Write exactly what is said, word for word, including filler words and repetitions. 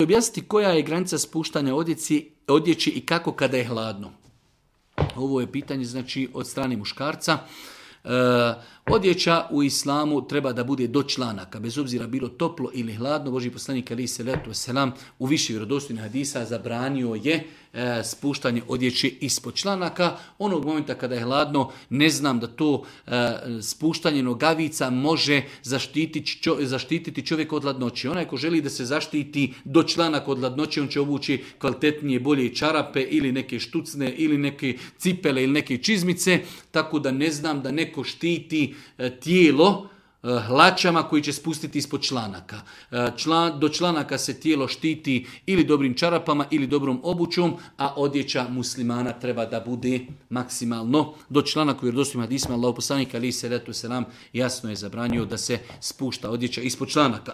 Objasniti koja je granica spuštanja odjeći, odjeći i kako kada je hladno. Ovo je pitanje znači od strane muškarca. E, odjeća u islamu treba da bude do članaka, bez obzira bilo toplo ili hladno. Božji poslanik alejhi selatu vesselam u više vjerodostojnih hadisa zabranio je e, spuštanje odjeće ispod članaka. Onog momenta kada je hladno, ne znam da to e, spuštanje nogavica može zaštititi, čo, zaštititi čovjek od hladnoće. Onaj ko želi da se zaštiti do članaka od hladnoće, on će obući kvalitetnije, bolje čarape ili neke štucne ili neke cipele ili neke čizmice, tako da ne znam da neko štiti e, tijelo hlačama koji će spustiti ispod članaka. Član, do članaka se tijelo štiti ili dobrim čarapama ili dobrom obućom, a odjeća muslimana treba da bude maksimalno do članaka. Jer dostojim hadisma Allahov poslanik alejhi selatu selam jasno je zabranio da se spušta odjeća ispod članaka.